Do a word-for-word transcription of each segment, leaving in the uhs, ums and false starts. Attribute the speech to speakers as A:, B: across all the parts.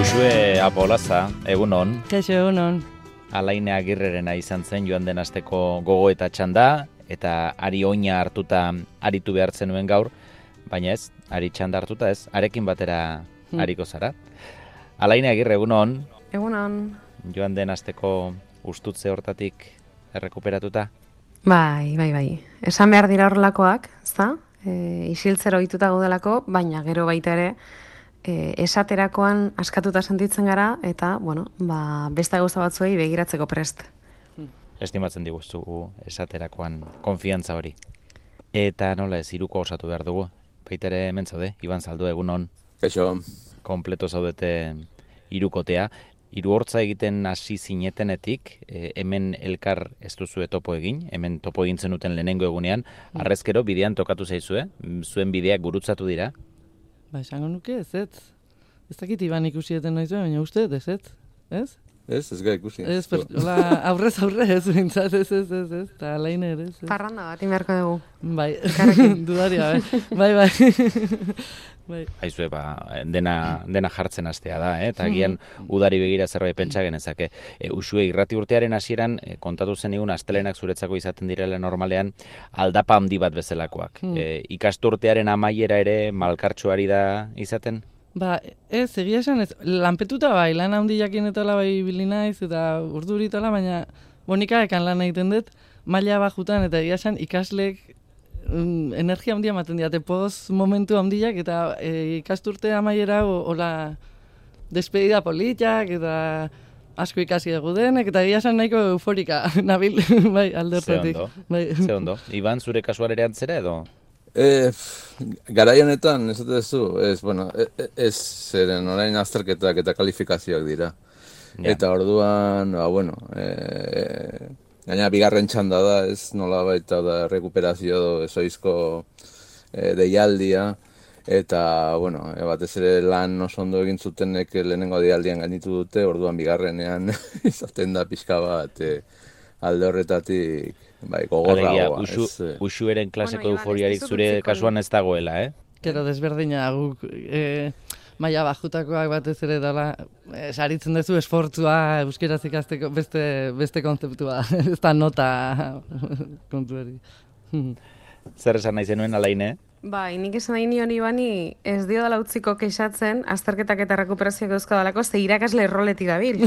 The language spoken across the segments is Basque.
A: Uxue Apolaza, egunon.
B: Kaixo, egunon.
A: Alaine Agirrerena izan zen joan den asteko gogoeta txanda, eta ari oina hartuta aritu behar zenuen gaur, baina ez, ari txanda hartuta ez, arekin batera ariko zara. Alaine Agirre, egunon.
C: Egunon.
A: Joan den asteko ustutze hortatik errekuperatuta?
C: Bai, bai, bai. Esan behar dira horrelakoak, ezta? E, isiltzero ohituta gaudelako, baina gero baita ere, E, esaterakoan askatuta sentitzen gara, eta, bueno, ba, beste gauza batzuei begiratzeko prest.
A: Estimatzen diguzu esaterakoan konfiantza hori. Eta nola ez, hiruko osatu behar dugu. Baitere hemen zaude, Iban Zaldu, egunon.
D: Kaixo.
A: Kompleto zaudete hirukotea. Hiru hortza egiten hasi zinetenetik, e, hemen elkar ez duzu topo egin, hemen topo egin zenuten lehenengo egunean, harrezkero bidean tokatu zaizue, zuen bideak gurutzatu dira.
B: Ba, esango nuke, ez ez. Ez dakit Iban ikusieten noiz, baina uste, ez ez, ez?
D: Ez, ez gara ikusi.
B: Ez, hola, aurrez aurre ez, bintzat, ez, ez, ez, ez, eta alain ere, ez.
C: Parranda bat, imerko dugu.
B: Bai, dudaria, bai, bai, bai.
A: Aizue, ba, dena, dena jartzen hastea da, eh? Eta agian udari begira zerbait pentsa genezake. E, Uxue, irrati urtearen hasieran e, kontatu zenigun astelenak zuretzako izaten direla normalean aldapa handi bat bezalakoak.
B: Hmm.
A: E, ikasturtearen amaiera ere malkartxoari da izaten?
B: Ba, ez, egia esan ez, lanpetuta bai, lan handi jakin eta bai ibili naiz, eta urduritala, baina bonika ekan lan egiten dut, maila bajutan, eta egia esan ikasleek mm, energia handia ematen diate, poz momentu handiak, eta e, ikasturte amaiera, hola, despedida politak, eta asko ikasi dugu denek, eta egia esan nahiko euforika, nabil, bai, aldertetik.
A: Ze ondo,
B: bai.
A: ze ondo. Iban, zure kasuan ere antzera edo?
D: E, garai honetan, ez dut zu, ez, bueno, ez zeren orain azterketak eta kalifikazioak dira.
A: Ja.
D: Eta orduan, ba, bueno, e, gaina bigarren txanda da, ez nola baita da rekuperazio ezoizko e, deialdia, eta, bueno, e, batez ere lan oso ondo egin zutenek lehenengo deialdian gainitu dute, orduan bigarrenean izaten da pixka bat e, alde horretatik, bai, gogorragoa.
A: Uxu,
D: ez,
A: Uxueren klaseko
C: bueno,
A: euforiarik zure kasuan ez dagoela, eh?
B: Gero desberdina guk e, maila bajutakoak batez ere dela, e, saritzen duzu esfortzua euskeraz ikasteko beste, beste kontzeptua, ez da nota kontuari.
C: Zer
B: esan
A: nahi zenuen Alaine?
C: Bai, nik esan nahi nion Ibani ez dio dela utziko kexatzen azterketak eta rekuperazioak euskadalako ze irakasle erroletik dabil.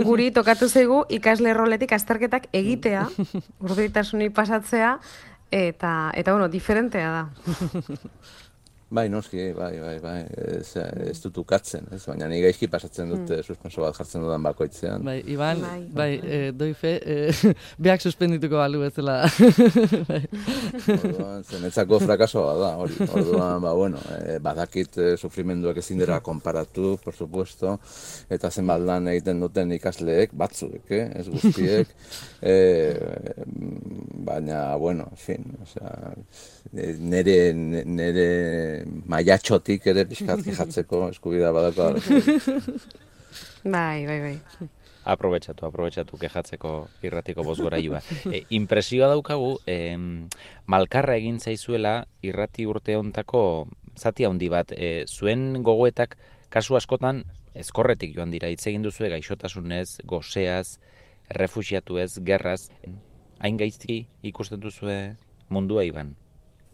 C: Guri tokatu zaigu ikasle erroletik azterketak egitea, urduritasunik pasatzea, eta, eta bueno, diferentea da.
D: Bai, noski, bai, bai, bai, ez, ez dut ukatzen, ez, baina ni gaizki pasatzen dut mm. suspenso bat jartzen dudan bakoitzean.
B: Bai, Iban,
C: bai,
B: bai e, doi fe, e, beak suspendituko balu bezala. Bai.
D: Orduan, zenetzako frakasoa da, hori, orduan, ba, bueno, e, badakit e, sufrimenduak ezin dira konparatu, por supuesto, eta zenbat lan egiten duten ikasleek, batzuek, eh, ez guztiek, e, baina, bueno, en fin, osea, nere, nere maiatxotik ere pixkat jatzeko eskubidea badako.
C: Bai, bai, bai.
A: Aprobetxatu, aprobetxatu kejatzeko irratiko bozgorailua. E, impresioa daukagu, e, malkarra egin zaizuela irrati urte hontako zati handi bat. E, zuen gogoetak kasu askotan ezkorretik joan dira. Hitz egin duzue gaixotasunez, goseaz, refuxiatuez, gerraz. Hain gaizki ikusten duzue mundua, Iban?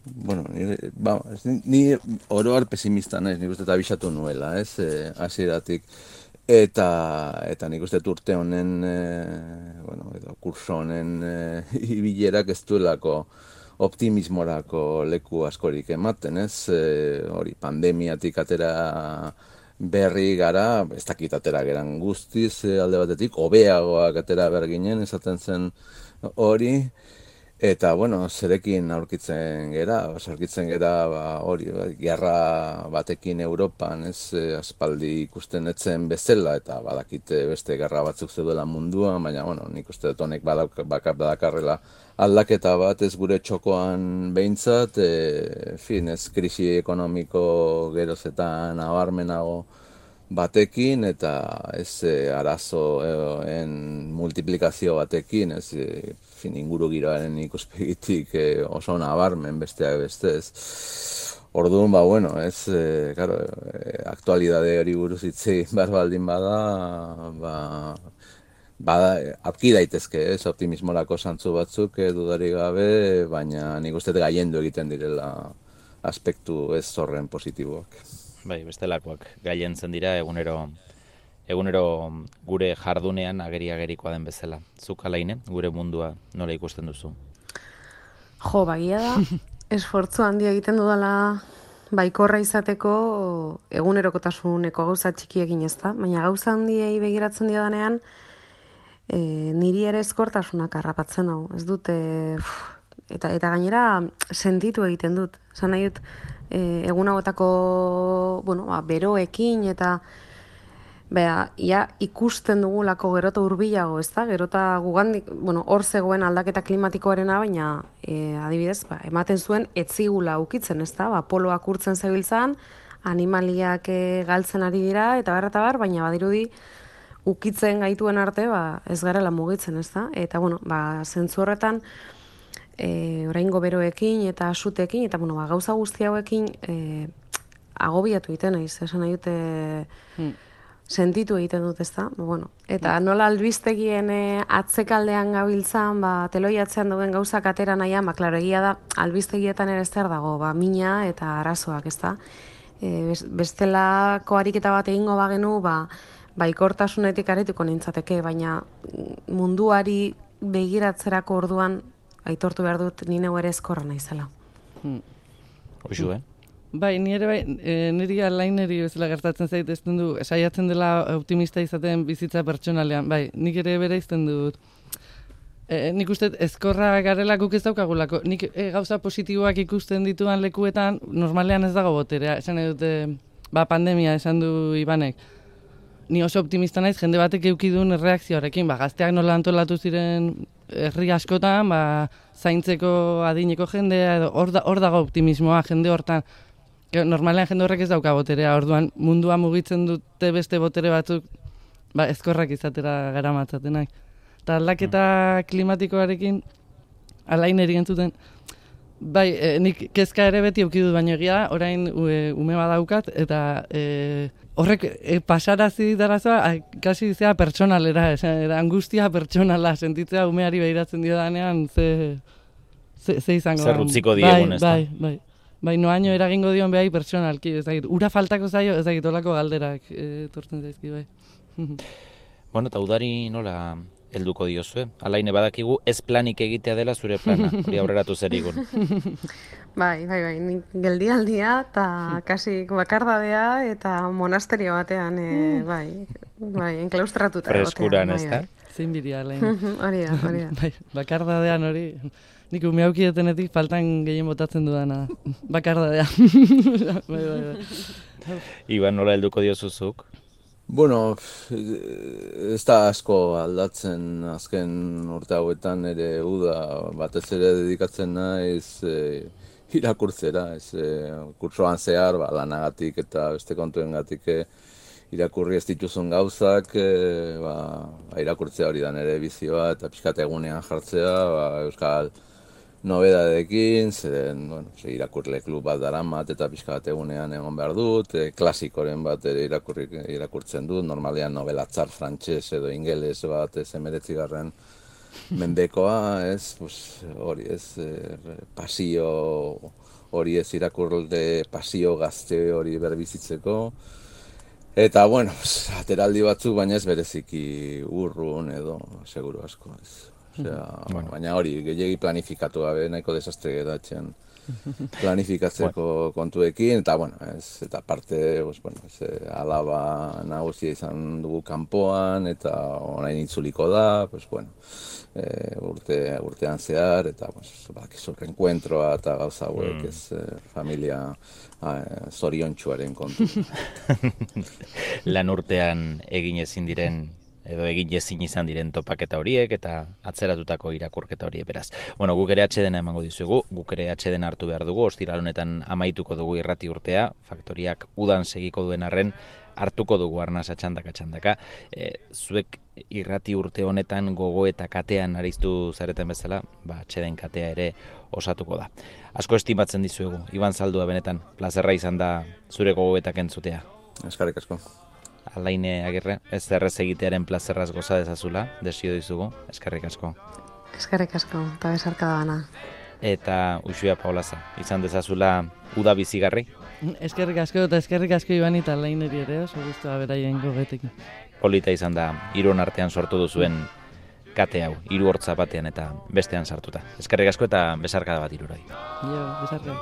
D: Bueno, ni, ba, ni oroar pesimista naiz, nik uste eta abisatu nuela, ez, e, hasieratik. Eta, eta nik uste urte honen, e, bueno, edo kurso honen e, ibilerak ez duelako optimismorako leku askorik ematen, ez, e, hori, pandemiatik atera berri gara, ez dakit atera geran guztiz e, alde batetik, hobeagoak atera behar ginen, esaten zen hori, Eta, bueno, zerekin aurkitzen gera, aurkitzen gera ba, hori, ba, gerra batekin Europan, ez, eh, aspaldi ikusten etzen bezala, eta badakite beste gerra batzuk zeudela munduan, baina, bueno, nik uste dut honek badauk- baka- badakarrela aldaketa bat, ez gure txokoan behintzat, e, fin, ez, krisi ekonomiko geroz eta nabarmenago batekin, eta ez e, arazoen multiplikazio batekin, ez, e, fin, inguru giroaren ikuspegitik e, oso nabarmen besteak beste, ez. Orduan, ba, bueno, ez, e, claro, e, aktualidade hori buruz hitz egin behar baldin bada, ba, bada, aurki daitezke, ez, optimismorako zantzu batzuk, e, dudarik gabe, baina nik uste dut gailendu egiten direla aspektu ez horren positiboak.
A: Bai, bestelakoak gailentzen dira egunero egunero gure jardunean ageri-agerikoa den bezala. Zuk Alaine, gure mundua nola ikusten duzu?
C: Jo, bagia da, esfortzu handia egiten dudala baikorra izateko egunerokotasuneko gauza txikiekin ez da, baina gauza handiei begiratzen diodanean, e, niri ere eskortasunak harrapatzen hau, ez dute, eta, eta gainera sentitu egiten dut, esan nahi dut, e, egun hauetako, bueno, ba, beroekin eta Bea, ia ikusten dugulako gerota hurbilago, ez da? Gerota gugandik, bueno, hor zegoen aldaketa klimatikoarena, baina e, adibidez, ba, ematen zuen etzigula ukitzen, ez da? Ba, poloak urtzen zebiltzan, animaliak e, galtzen ari dira, eta bar, eta bar, baina badirudi ukitzen gaituen arte, ba, ez garela mugitzen, ez da? Eta, bueno, ba, zentzu horretan, e, oraingo beroekin eta sutekin, eta, bueno, ba, gauza guzti hauekin e, agobiatu egiten naiz, esan nahi dute... Hmm. Sentitu egiten dut, ezta? Bueno, eta nola albistegien e, atzekaldean gabiltzan, ba, teloi atzean duen gauzak atera nahian, ba, klaro, egia da, albistegietan ere zer dago, ba, mina eta arazoak, ezta? E, bestelako ariketa bat egingo bagenu, ba, baikortasunetik arituko nintzateke, baina munduari begiratzerako orduan, aitortu behar dut, ni neu ere eskorra naizela.
A: Hmm. Hoxu, eh?
B: Bai, ni ere bai, e, niri Alaineri bezala gertatzen zait, ez du, saiatzen dela optimista izaten bizitza pertsonalean, bai, nik ere bere izten dut. E, nik uste ezkorra garela guk ez daukagulako, nik e, gauza positiboak ikusten dituan lekuetan, normalean ez dago boterea, esan dute, ba, pandemia, esan du Ibanek. Ni oso optimista naiz, jende batek eukidun erreakzioarekin, ba, gazteak nola antolatu ziren herri askotan, ba, zaintzeko adineko jendea, edo hor da, hor dago optimismoa, jende hortan. Normalean jende horrek ez dauka boterea, orduan mundua mugitzen dute beste botere batzuk, ba, ezkorrak izatera gara matzatenak. Eta aldaketa klimatikoarekin, Alaineri entzuten, bai, e, nik kezka ere beti eukidut, baina egia da, orain e, ume badaukat, eta e, horrek e, pasarazi darazoa, kasi zea pertsonalera, era, angustia pertsonala, sentitzea umeari behiratzen dio danean, ze, ze, ze izango.
A: Zer utziko diegun, ez da?
B: Bai, bai. Bai, noaino eragingo dion behai pertsonalki, ez dakit, ura faltako zaio, ez dakit, olako galderak etortzen zaizki, bai.
A: Bueno, eta udari nola helduko diozue? Alaine badakigu ez planik egitea dela zure plana, hori aurreratu zer igun.
C: Bai, bai, bai, nik geldialdia eta kasi bakardadea eta monasterio batean, e, bai, bai, enklaustratuta.
A: Freskuran, ez da?
B: Zein bidia, Alaine.
C: Hori da, hori da.
B: Bai, bakardadean hori... Nik ume haukietenetik faltan gehien botatzen dudana, bakardadea. bai, bai, bai.
A: Iban, nola helduko diozuzuk?
D: Bueno, ez da asko aldatzen azken urte hauetan ere uda batez ere dedikatzen naiz e, irakurtzera, ez e, kurtsoan zehar, ba, lanagatik eta beste kontuengatik e, irakurri ez dituzun gauzak, e, ba, irakurtzea hori da nire bizioa eta pixkat egunean jartzea, ba, euskal nobedadekin, zeren, bueno, irakurle klub bat daramat eta pixka bat egunean egon behar dut, e, klasikoren bat ere irakurri, irakurtzen dut, normalean nobelatzar frantses edo ingeles bat ez emeretzigarren mendekoa, ez, pues, hori ez, e, pasio hori ez irakurle pasio gazte hori berbizitzeko, eta, bueno, pues, ateraldi batzuk, baina ez bereziki urrun edo, seguru asko, ez. Osea, bueno. Baina hori, gehiagi planifikatu gabe, nahiko desastre geratzen planifikatzeko kontuekin, eta, bueno, ez, eta parte, pues, bueno, ez, alaba nagusia izan dugu kanpoan, eta orain itzuliko da, pues, bueno, e, urte, urtean zehar, eta, pues, bakizu, reenkuentroa eta gauza hauek, ez, familia zoriontsuaren kontu.
A: Lan urtean egin ezin diren edo egin ezin izan diren topaketa horiek eta atzeratutako irakurketa horiek beraz. Bueno, guk ere atsedena emango dizugu, guk ere atsedena hartu behar dugu, ostiral honetan amaituko dugu irrati urtea, faktoriak udan segiko duen arren, hartuko dugu arnasa txandaka txandaka. E, zuek irrati urte honetan gogo eta katean ariztu zareten bezala, ba, atseden katea ere osatuko da. Asko estimatzen dizuegu, Iban Zaldua benetan, plazerra izan da zure gogoetak entzutea.
D: Eskarrik asko.
A: Alaine Agirre, ez errez egitearen plazerraz goza dezazula, desio dizugu, eskerrik asko.
C: Eskerrik asko, eta besarkada bana.
A: Eta Uxua Paulaza, izan dezazula uda bizigarri?
B: Eskerrik asko eta eskerrik asko Ibani eta Alaineri ere, oso guztua beraien gogetekin.
A: Polita izan da, hiruon artean sortu duzuen kate hau, hiru hortza batean eta bestean sartuta. Eskerrik asko eta besarkada bat hiruroi.
B: Jo, besarkada.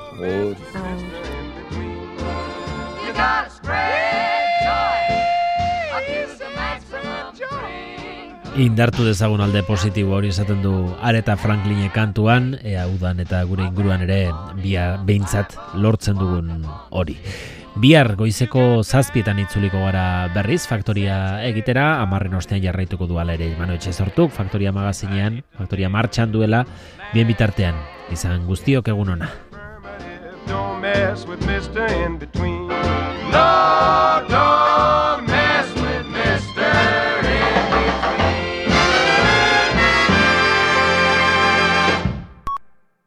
E: Indartu dezagun alde positibo hori esaten du Aretha Franklinek kantuan, ea udan eta gure inguruan ere bia behintzat lortzen dugun hori. Bihar goizeko zazpietan itzuliko gara berriz, Faktoria egitera, amarren ostean jarraituko duala ere Manu Etxezortuk, Faktoria magazinean, Faktoria martxan duela, bien bitartean, izan guztiok egun ona.